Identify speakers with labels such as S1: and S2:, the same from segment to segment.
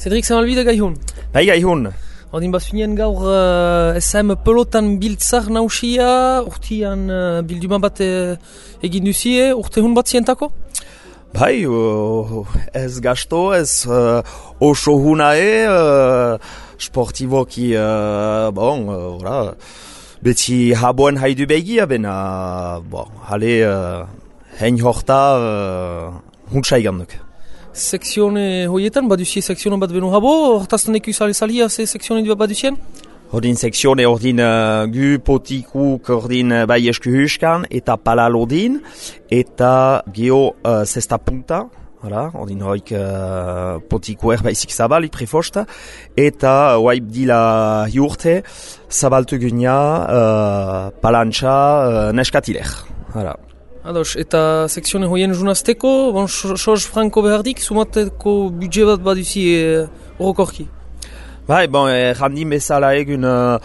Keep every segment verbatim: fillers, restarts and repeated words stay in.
S1: Cedric Zamalbide gaihun.
S2: Bai gaihun.
S1: Odin bazunien gaur uh, S M pelotan biltzar nausia, urtian uh, bilduma bat uh, egin duzie, urte hun bat zientako?
S2: Bai, uh, ez gasto, ez uh, oso hunae, uh, sportiboki, uh, bon, uh, beti haboen haidu begia, bena, bon, hale, uh, hein horta, uh, huntsa iganduk.
S1: Sekzione hoietan, baduzie sekzione bat beno habo, hortazten eku sali salia ze sekzione du baduzien?
S2: Ordin sekzione ordin uh, gu potikuk ordin uh, bai esku huskan, eta palal ordin, eta geho uh, zesta punta, hala, ordin hoik uh, potikuer baizik zabalik prefosta, eta waip dila hiurte, zabaltu gunia uh, palantxa uh, neskatilek, hala.
S1: Ados, eta sekzione hoien junazteko, bon, Soz Franco behardik, sumateko budget bat baduzi orokorki?
S2: Bai, bon, eh, jandin bezala egun uh,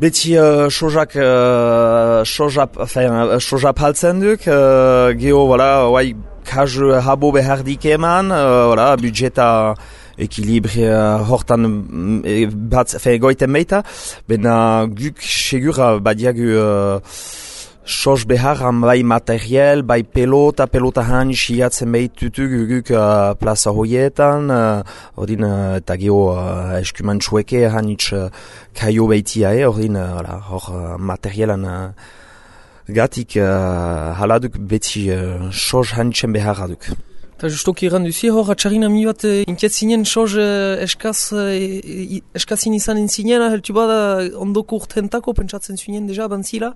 S2: beti uh, sojak uh, sojap, enfin, sojap haltzen duk, uh, geho, voilà, oai, kaj habo behardik eman, uh, voilà, budgeta ekilibri uh, hortan e, bat, enfin, goiten meita, bena guk segura badiagu uh, Soz beharran bai materiel, bai pelota, pelota hanitz hiatzen behitutu guguk uh, plaza hoietan, uh, ordin, uh, eta geho uh, eskuman txueke hanitz uh, kaio behitia, eh, ordin, uh, hor uh, materielan uh, gatik uh, haladuk beti uh, soz hanitzen beharraduk.
S1: Eta justoki erran duzi hor, atxarina mi bat inkiatzinen soz uh, eskaz, uh, eskazin izan entzinen, heltu bada ondoko urtentako pentsatzen zuen deja bantzila?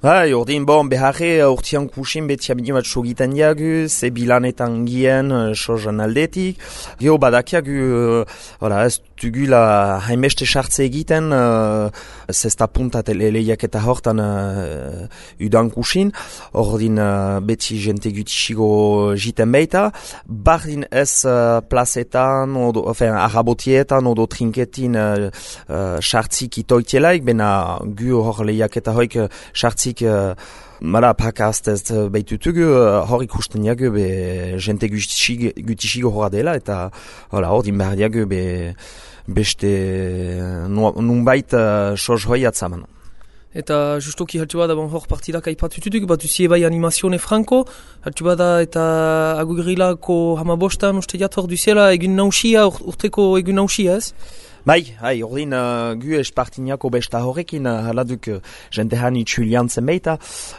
S2: Bai, ordin, bon, beharre urtean kusin beti abini bat sogitan diagu, ze bilanetan gien, sozan aldetik. Geo badakiagu, uh, ez dugula haimeste sartze egiten, uh, zesta puntat lehiak eta hortan uh, udan kusin. Ordin, uh, beti jente gutixigo jiten beita. Bardin ez uh, plazetan, odo, enfin, arrabotietan, odo trinketin uh, uh, sartzik itoitielaik, bena gu hor lehiak eta hoik sartzik Uh, mara pakast ez behitutugu, uh, hor ikusten diagu be jente gutixigo horra dela, eta hor din behar diagu be beste nunbait uh, soz hoi atzaman.
S1: Eta justoki haltu bada bon, hor partidak aipatututuk, bat duzie bai animazione franco, haltu bada eta agugrilako hamabostan uste jat hor duziela egun nausia, urteko egun nausia ez?
S2: Bai, hai, ordin uh, gu espartiniako besta horrekin uh, haladuk uh, jente hani txuliantzen beita,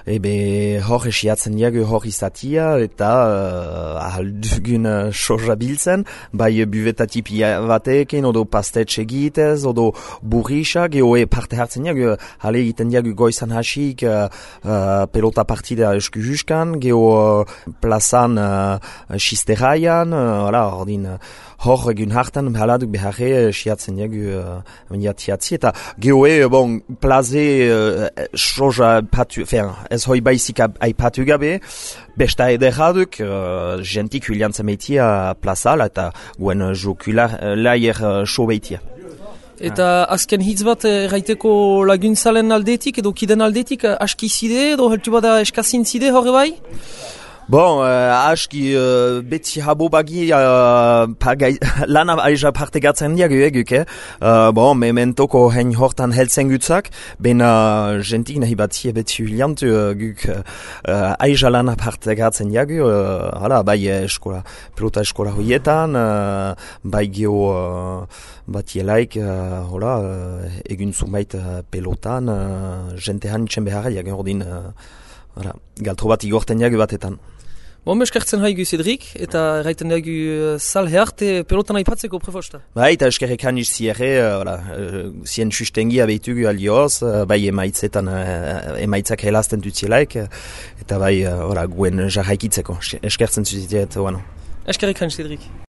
S2: ebe hor esiatzen diagu hor izatia eta uh, ahaldugun uh, soja biltzen, bai buvetatipi batekin, odo pastetxe egitez, odo burrisa, geho e parte hartzen diagu, hale egiten diagu goizan hasik uh, uh, pelota partida esku juskan, geho uh, plazan uh, xisterraian, uh, ordin uh, hor egun hartan haladuk beharre esiatzen diagu uh, eta gehoe, bon, plaze uh, soja patu, fin, ez hoi baizik aipatu gabe, besta ederraduk, uh, jentik huliantzen meitia plazala eta guen jokula laier uh, so beitia.
S1: Eta azken hitz bat erraiteko laguntzalen aldetik edo kiden aldetik aski zide edo heltu bada eskazin zide horre bai?
S2: Bon, uh, aski uh, beti habo bagi uh, lana aija partegatzen diagu eguk, eh? Uh, bon, mementoko hein hortan heltzen gutzak, bena uh, jentik nahi batie beti huliantu uh, guk uh, aija lana partegatzen diagu, uh, hala, bai eskola, pelota eskola hoietan, uh, bai geho uh, batielaik, uh, hola, uh, egun zumbait uh, pelotan, uh, jente hanitzen beharra diagu, ordin, uh, hala, galtro bat igorten diagu batetan.
S1: Bon, eskertzen haigu Cedric, eta erraiten dugu uh, sal hearte pelotan aipatzeko prefosta.
S2: Bai, eta eskerrek haniz zierre, uh, uh, zien sustengi abeitugu alioz, uh, bai emaitzetan, uh, emaitzak helazten dutzielaik, uh, eta bai, uh, guen jarraikitzeko, eskertzen zuzitet, bueno.
S1: Eskerrek haniz Cedric.